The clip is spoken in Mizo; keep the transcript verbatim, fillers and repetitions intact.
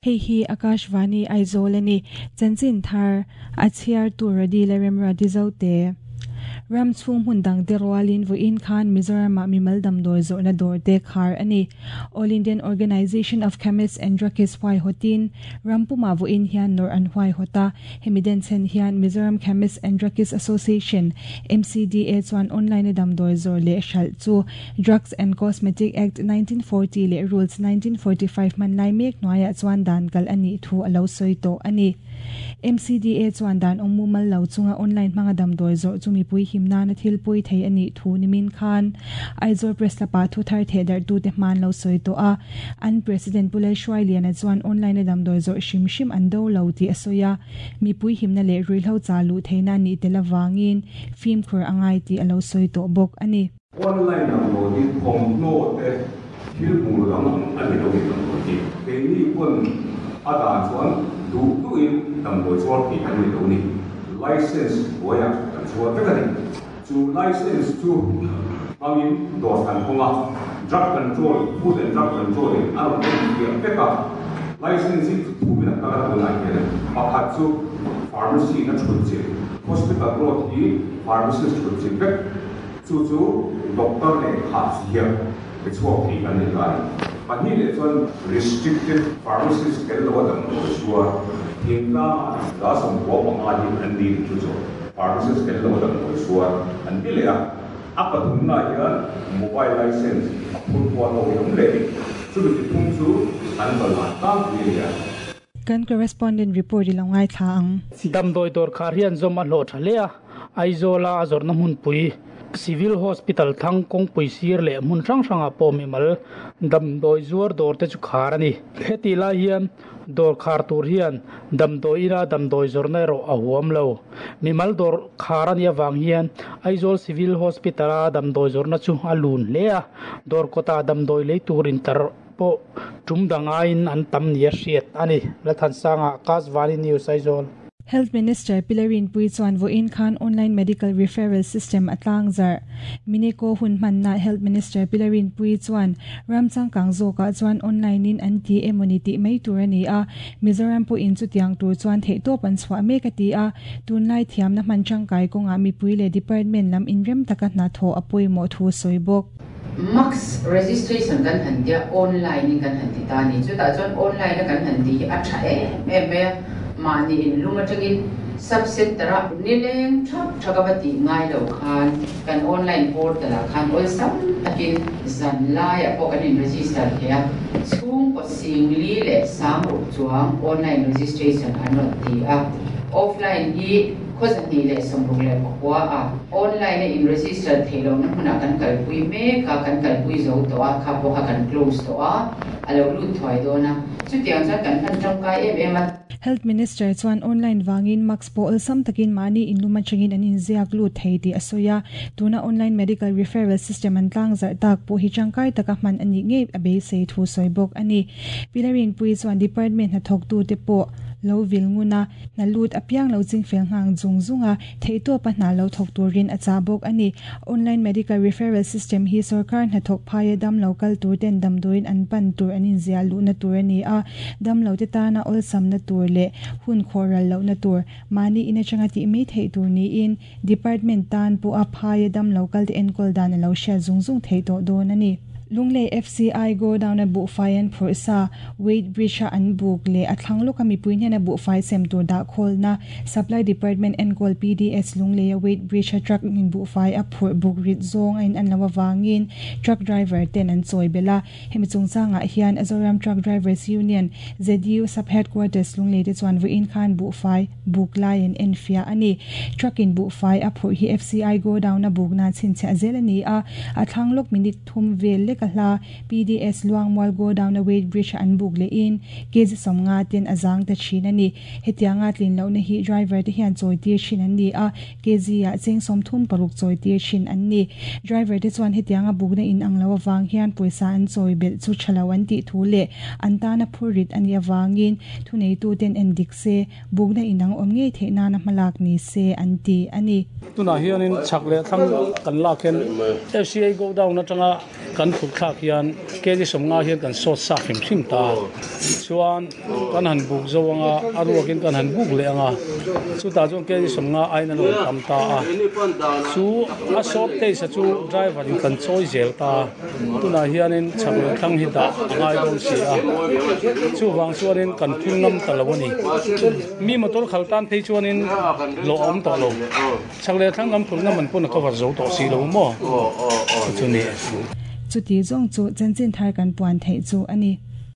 Hei hi Akashvani Aizawl ani chanchin thar a chhiar tur radi le remra dizote ram chung hun dang te rualin voin khan Mizoram ah mimal damdawi zawrhna dawr te khar ani All Indian Organisation of Chemists and Druggists huai hawtin rampuma voin hian nawr an huai hawta hemi den chen hian Mizoram Chemists and Druggists Association M C D A chuan online a damdawi zawr leh hralh chu Drugs and Cosmetic Act nineteen forty leh Rules nineteen forty-five man lai mek hnuaiah chuan dan kal ani thu alo sawi tawh ani. M C D A chuan dan awm mumal lo chunga online hmanga damdawi zawrh chu mipui himnana thil pui thei ani thu nimin khan Aizawl Press lapa thu thar the dar tu te hman lo sawi tawh a. An president Pulai Hruai Liana chuan online a damdawi zawrh hrim hrim an do lo ti a sawi a, mipui himna leh ruihhlo cha lu theina ni tel awangin fimkhur angai ti alo sawi tawh bawk ani. Online damdawi hi thawmhnaw te thil hmuh dang ani lo ni. Damdawi hi keini pawn a dan chuan duh duhin damdawi chuar tih kan ni lo ni. License hnuaiah kan chuar vek ani. Chu license chu hmangin dawr kan hawnga, drug control, Food and Drug Control in a rawn en fiah vek a. License hi thumin a kal a. Tunah hian pakhat chu pharmacy na thut chilh, hospital road hi pharmacist thut chilh vek, chu chu doctor leh kha ziak pe chhuak thei kan ni ta ani. Pahnih leh chuan restricted pharmacist tel lo a damdawi chuar thingtlangah za sawmkua panga hi an ni. Chu chu pharmacist tel lo a damdawi chuar an ti leh a. A pathumna hian mobile license a phur kual ho hi awm leh ni. Chumi ti thum chu an ballan tlangpui a ni a. Kan correspondent report i lo ngai thla ang. Damdawi dawr khar hian zawm a hlawh tha hle a. Aizawla a zawrhna hmunpui Civil Hospital thlang kawngpui sir leh hmun hrang hrangah pawh mimal damdawi zuar dawr te chu khar ani. Heti lai hian dawr khar tur hian damdawi ina damdawi zawrhna erawh a huam lo. Mimal dawr khar ani awang hian Aizawl Civil Hospital a damdawi zawrhna chu a lun hle a. Dawr kawta damdawi lei tur intar pawh tum dangaiin an tam ni a hriat ani. Lathansanga, Akashvani News, Aizawl. Health Minister Pilarin Pui chuan voin khan online medical referral system atlang zar. Mineko hun man na Health Minister Pilarin Pui chuan ramchang kang zoka chuan online in an ti emoni ti mai tur ani a. Mizoram pu in chu tiang tur chuan thei to pan chwa me ka ti a. Tunlai thiam na man chang kai konga mi pui le department lam in rem taka na tho apoi mo thu soibok. M A C S registration kan han tia, online in kan han ti ta ni. Chu ta chuan online a kan han ti hi a tha em em mai a. Mahni in lum atangin sub center a nileng thap thaka va ti ngai lo khan kan online portal ah khan ol sam takin zan lai a pawh kan in register thei a. Chhung ko singli leh sang ruk chuang online registration an rawn ti a. Offline hi khawzahnih leh sawmruk leh pakua a. Online a in register theilo na hmunah kan kalpui mek a, kan kalpui zo tawh a, kha pawh kha kan close tawh a, a lo lut thuai dawn a. Chutiang chuan kan hman tangkai em em a. Health Minister chuan online wangin M A C S po sam takin mani in luma changin an in ziak lu thei ti asoya. Tuna online medical referral system an tlang zar tak po hi changkai taka man ani nge abe sei thu soibok ani. Pilarin Pui chuan department na thok tu te po lo vil nguna na lut apiang lo ching fel ngang zung zunga theito pa na lo thok turin acha bok ani. Online medical referral system hi sarkar na thok phaya dam local tur ten dam doin an pan tur anin zia lu na tur ani a. Dam lo te ta na ol sam na tur le hun khoral lo na tur mani ina changa ti mi thei tur ni in department tan pu a phaya dam local te enkol dan lo sha zung zung thei to don ani. Lunglei F C I go down a bu fai an phur sa weight bridge an buk le athlang lo kami puin hian a bu fai sem tur da khol na Supply Department en gol P D S Lunglei a weight bridge a truck in bu fai a phur buk rit zong in an lawa wangin truck driver ten an choi bela. Hemi chungchanga hian Azoram Truck Drivers Union Z U sub headquarters Lunglei te chuan vuin khan bu fai buk lai an en fia ani. Truck in bu fai a phur hi F C I go down a buk na chin che zel ani a. Athlang lok minute thum vel le ka hla P D S Luangmual go down a weight bridge an buk le in kg somnga ten azang ta chin ani. Hetianga tlin lo na hi driver te hian choi tir chin an ni a. Kg a cheng som thum paruk choi tir chin an ni. Driver te chuan hetianga buk na in ang lo awang hian poisa an choi bel chu thalo an ti thu le an ta na phurit ani awangin thu nei tu ten en dik se buk na inang om nge the na na malak ni se an ti ani. Tuna hianin chak le thlang kan lak hian F C I go down atanga kan phur chhuk thlak hian kg sawmnga hian kan sawt sa hrim hrim ta chuan kan han buk zo anga a ruakin kan han buk leh anga chutah chuan kg sawmnga ain an rawn tam ta a chu a sawt te sa chu driver in kan chawi zel ta tunah hianin chhak leh thlang hi dah a ngai dawn si a chu wang chuanin kan phun ngam ta lo ani mi motor khal tan phei chuanin lo awm tawh lo chhak leh thlang lam phun na man pun a cover zo tawh si lo maw chu ni chuti zawng chu chanchin thar kan puan theih chu ani.